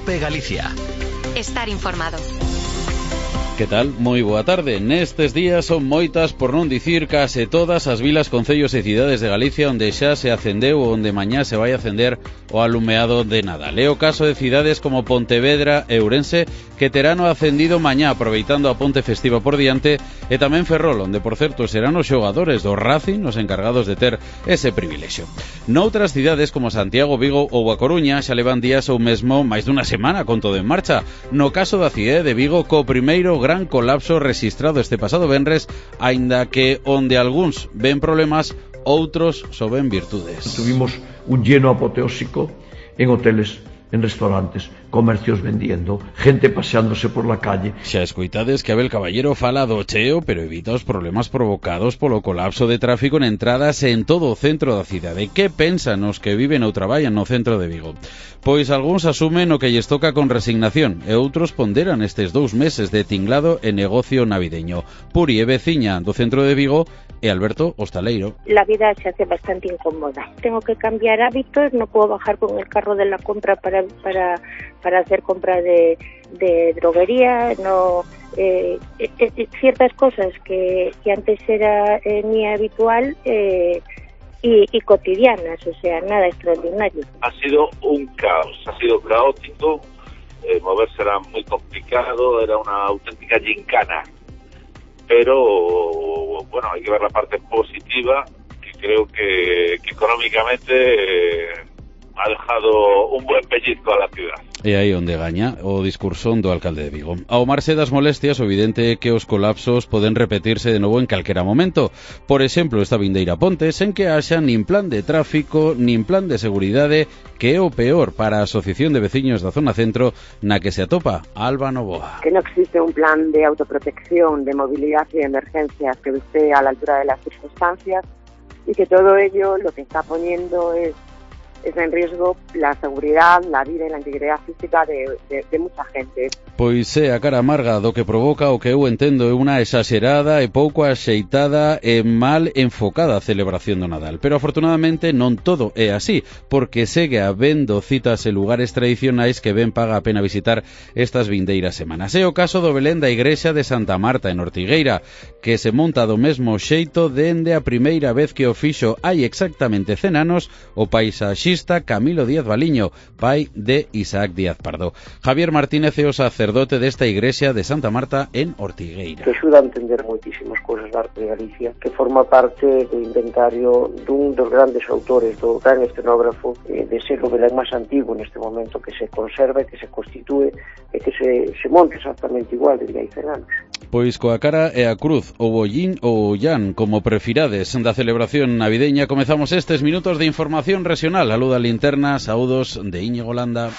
COPE Galicia. Estar informado. Que tal? Moi boa tarde. Nestes días son moitas, por non dicir case todas, as vilas, concellos e cidades de Galicia onde xa se acendeu ou onde mañá se vai acender o alumeado de Nadal. É o caso de cidades como Pontevedra e Ourense, que terán o acendido mañá, aproveitando a ponte festiva por diante, e tamén Ferrol, onde, por certo, serán os xogadores do Racing os encargados de ter ese privilexio. Noutras cidades como Santiago, Vigo ou A Coruña xa levan días ou mesmo máis dunha semana con todo en marcha. No caso da cidade de Vigo, co primeiro gran colapso rexistrado este pasado venres, aínda que onde algúns ven problemas, outros só ven virtudes. Tuvimos un lleno apoteósico en hoteles, en restaurantes, comercios vendiendo, gente paseándose por la calle. Xa escoitades que Abel Caballero fala do cheo, pero evita os problemas provocados polo colapso de tráfico en entradas en todo o centro da cidade. Que pensan os que viven ou traballan no centro de Vigo? Pois algúns asumen o que lles toca con resignación e outros ponderan estes 2 meses de tinglado e negocio navideño. Puri é veciña do centro de Vigo e Alberto, hostaleiro. La vida se hace bastante incómoda. Tengo que cambiar hábitos, no puedo bajar con el carro de la compra para hacer compra de droguería, no ciertas cosas que antes era mi habitual y cotidianas, o sea, nada extraordinario. Ha sido un caos, ha sido caótico, moverse era muy complicado, era una auténtica gincana, pero bueno, hay que ver la parte positiva, que creo que económicamente ha dejado un buen pellizco a la ciudad. E aí onde gaña o discurso do alcalde de Vigo. Ao marxe das molestias, o evidente é que os colapsos poden repetirse de novo en calquera momento. Por exemplo, esta vindeira ponte, sen que haxa nin plan de tráfico, nin plan de seguridade, que é o peor para a Asociación de Veciños da Zona Centro, na que se atopa Alba Novoa. Que no existe un plan de autoprotección, de movilidad y de emergencias que esté a la altura de las circunstancias, y que todo ello lo que está poniendo es en riesgo la seguridad, la vida y la integridad física de mucha gente. Pois é a cara amarga do que provoca o que eu entendo é unha exagerada e pouco axeitada e mal enfocada celebración do Nadal. Pero afortunadamente non todo é así, porque segue habendo citas e lugares tradicionais que ben paga a pena visitar estas vindeiras semanas. É o caso do Belén da Igrexa de Santa Marta en Ortigueira, que se monta do mesmo xeito dende a primeira vez que o fixo hai exactamente 100 anos o paisaxista Camilo Díaz Baliño, pai de Isaac Díaz Pardo. Javier Martínez é o sacerdote desta igrexa de Santa Marta en Ortigueira. Que axuda a entender moitísimas cousas da arte de Galicia, que forma parte do inventario dun dos grandes autores, do gran escenógrafo, de ser o Belén máis antigo neste momento, que se conserva, que se constitúe e que se monte exactamente igual desde hai 100 anos. Pois coa cara e a cruz, o bollín ou o llán, como prefirades, da celebración navideña, comezamos estes minutos de información regional. A luz da linterna, saúdos de Íñigo Landa.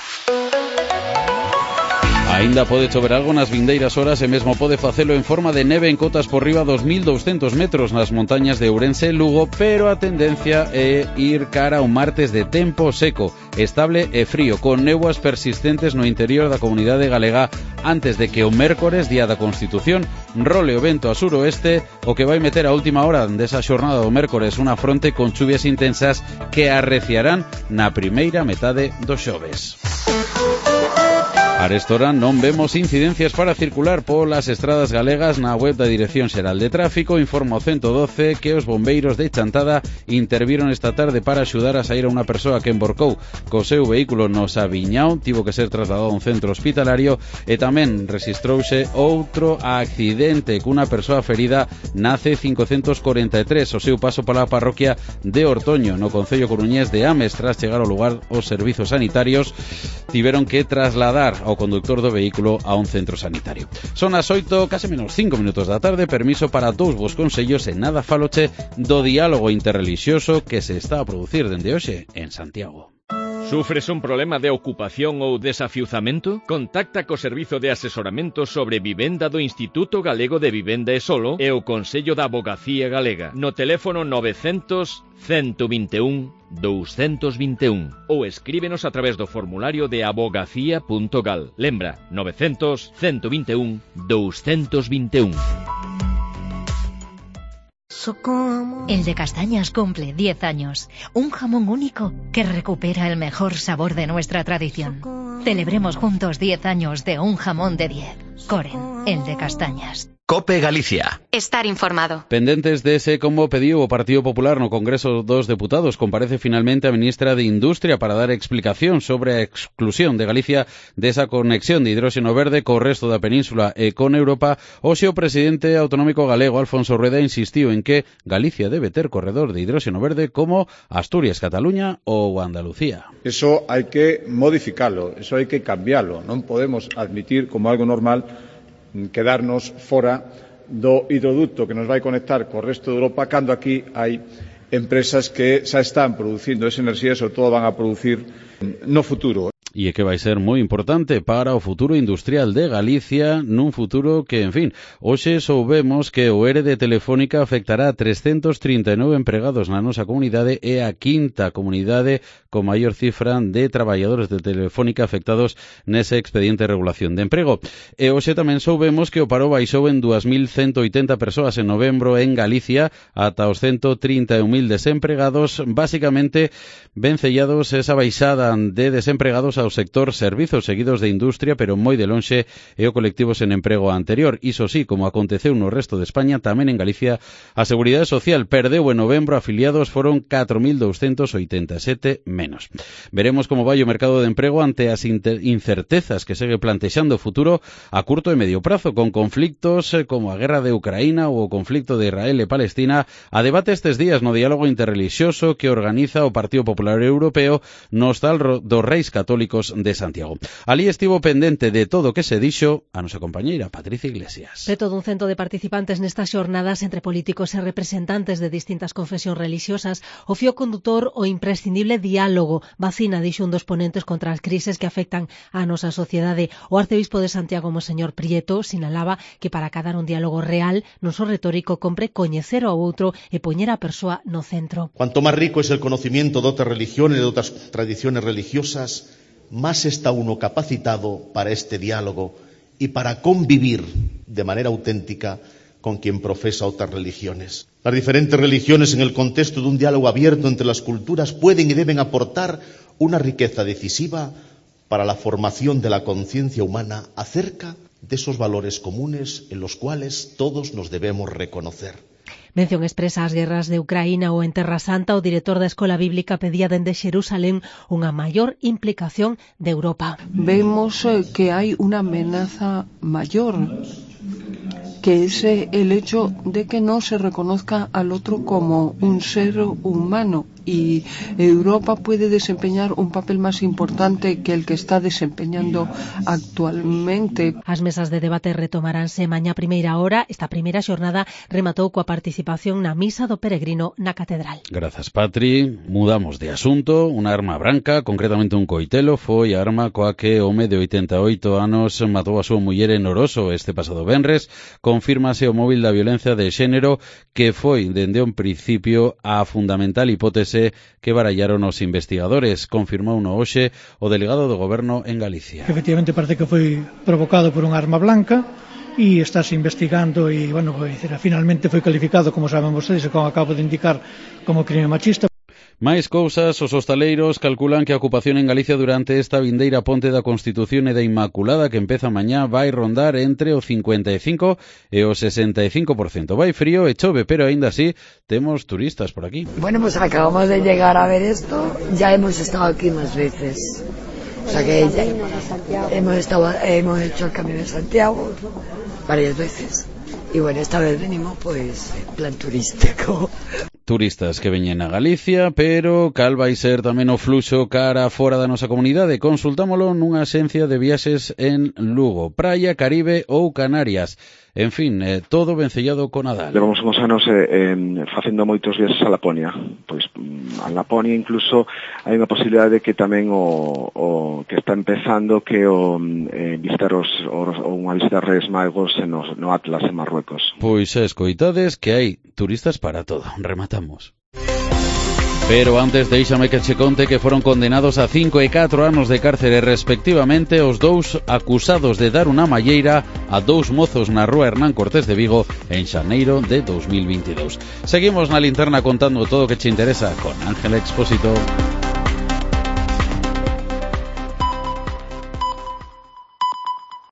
Aínda pode chover algo nas vindeiras horas e mesmo pode facelo en forma de neve en cotas por riba dos 1.200 metros nas montañas de Ourense e Lugo, pero a tendencia é ir cara a un martes de tempo seco, estable e frío, con néboas persistentes no interior da comunidade galega antes de que o mércores, día da Constitución, role o vento a suroeste, o que vai meter a última hora desa xornada do mércores unha fronte con chuvias intensas que arreciarán na primeira metade do xoves. Arestora non vemos incidencias para circular polas estradas galegas. Na web da Dirección Xeral de Tráfico informa o 112 que os bombeiros de Chantada interviron esta tarde para axudar a sair a unha persoa que emborcou co seu vehículo no Sabiñao, tivo que ser trasladado a un centro hospitalario, e tamén rexistrouse outro accidente cunha persoa ferida na C543 o seu paso pola parroquia de Ortoño, no concello coruñés de Ames. Tras chegar ao lugar, os servizos sanitarios tiveron que trasladar ao conductor do vehículo a un centro sanitario. Son as 8, case menos 5 minutos da tarde. Permiso para 2 vos consellos e nada faloche do diálogo interrelixioso que se está a producir dende hoxe en Santiago. Sufres un problema de ocupación ou desafiuzamento? Contacta co Servizo de Asesoramento sobre Vivenda do Instituto Galego de Vivenda e Solo e o Consello da Avogacía Galega no teléfono 900 121 221 ou escríbenos a través do formulario de abogacía.gal. Lembra, 900 121 221. El de Castañas cumple 10 años. Un jamón único que recupera el mejor sabor de nuestra tradición. Celebremos juntos 10 años de un jamón de 10. Coren, el de castañas. COPE Galicia. Estar informado. Pendentes de ese como pediu o Partido Popular no Congreso dos Deputados, comparece finalmente a ministra de Industria para dar explicación sobre a exclusión de Galicia desa conexión de hidróxeno verde co resto da península e con Europa. Hoxe o presidente autonómico galego Alfonso Rueda insistiu en que Galicia debe ter corredor de hidróxeno verde como Asturias, Cataluña ou Andalucía. Eso hai que modificalo, eso hai que cambialo. Non podemos admitir como algo normal quedarnos fora do hidroducto que nos vai conectar co resto de Europa cando aquí hai empresas que xa están producindo esa enerxía e sobre todo van a producir no futuro. E que vai ser moi importante para o futuro industrial de Galicia nun futuro que, en fin, hoxe soubemos que o ERE de Telefónica afectará a 339 empregados na nosa comunidade e a quinta comunidade con maior cifra de traballadores de Telefónica afectados nese expediente de regulación de emprego. E hoxe tamén soubemos que o paro baixou en 2.180 persoas en novembro en Galicia ata os 131.000 desempregados, basicamente vencellados esa baixada de desempregados ao sector servizos seguidos de industria, pero moi de lonxe e o colectivo sen emprego anterior. Iso sí, como aconteceu no resto de España, tamén en Galicia a Seguridade Social perdeu en novembro, afiliados foron 4.287 menos. Veremos como vai o mercado de emprego ante as incertezas que segue plantexando o futuro a curto e medio prazo, con conflictos como a guerra de Ucraína ou o conflicto de Israel e Palestina a debate estes días no diálogo interrelixioso que organiza o Partido Popular Europeo no Hostal dos Reis Católicos de Santiago. Alí estivo pendente de todo o que se dixo a nosa compañeira Patricia Iglesias. Preto dun cento de participantes nestas xornadas entre políticos e representantes de distintas confesións religiosas, o fío condutor o imprescindible diálogo. Vacina, dixo un dos ponentes contra as crises que afectan a nosa sociedade. O arcebispo de Santiago, Monseñor Prieto, sinalaba que para acadar un diálogo real, non só retórico, compre coñecer ao outro e poñer a persoa no centro. Cuanto máis rico es el conocimiento de otras religiones, de otras tradiciones religiosas, más está uno capacitado para este diálogo y para convivir de manera auténtica con quien profesa otras religiones. Las diferentes religiones, en el contexto de un diálogo abierto entre las culturas, pueden y deben aportar una riqueza decisiva para la formación de la conciencia humana acerca de esos valores comunes en los cuales todos nos debemos reconocer. Mención expresa ás guerras de Ucraína ou en Terra Santa, o director da Escola Bíblica pedía dende Xerusalén unha maior implicación de Europa. Vemos que hai unha amenaza mayor, que es el hecho de que no se reconozca al otro como un ser humano, y Europa puede desempeñar un papel más importante que el que está desempeñando actualmente. As mesas de debate retomaránse mañá primeira hora. Esta primeira xornada rematou coa participación na misa do peregrino na catedral. Grazas, Patri. Mudamos de asunto. Unha arma branca, concretamente un coitelo, foi a arma coa que o home de 88 anos matou a súa muller en Oroso este pasado venres. Confírmase o móvil da violencia de xénero, que foi dende un principio a fundamental hipótese que barallaron os investigadores. Confirmou no hoxe o delegado do Goberno en Galicia. Efectivamente parece que foi provocado por unha arma blanca e estáse investigando e, bueno, finalmente foi calificado, como saben vostedes, como acabo de indicar, como crime machista. Máis cousas, os hostaleiros calculan que a ocupación en Galicia durante esta vindeira ponte da Constitución e da Inmaculada que empeza mañá vai rondar entre o 55 e o 65%. Vai frío e chove, pero aínda así temos turistas por aquí. Bueno, pues acabamos de llegar a ver esto, ya hemos estado aquí más veces. O sea que ya hemos hecho el Camino de Santiago varias veces. Y bueno, esta vez venimos pues en plan turístico. Turistas que veñen a Galicia, pero cal vai ser tamén o fluxo cara fora da nosa comunidade? Consultámolo nunha axencia de viaxes en Lugo, Praia, Caribe ou Canarias. En fin, todo vencellado con Nadal. Levamos uns anos facendo moitos viaxes a Laponia. Pois a Laponia incluso hai unha posibilidade de que tamén o que está empezando que visitar unha visita a Reis Magos no Atlas en Marruecos. Pois escoitades que hai turistas para todo. Rematamos. Pero antes déixame que che conte que foron condenados a 5 e 4 anos de cárcere respectivamente os dous acusados de dar unha malleira a dous mozos na rúa Hernán Cortés de Vigo en xaneiro de 2022. Seguimos na linterna contando todo o que che interesa con Ángela Expósito.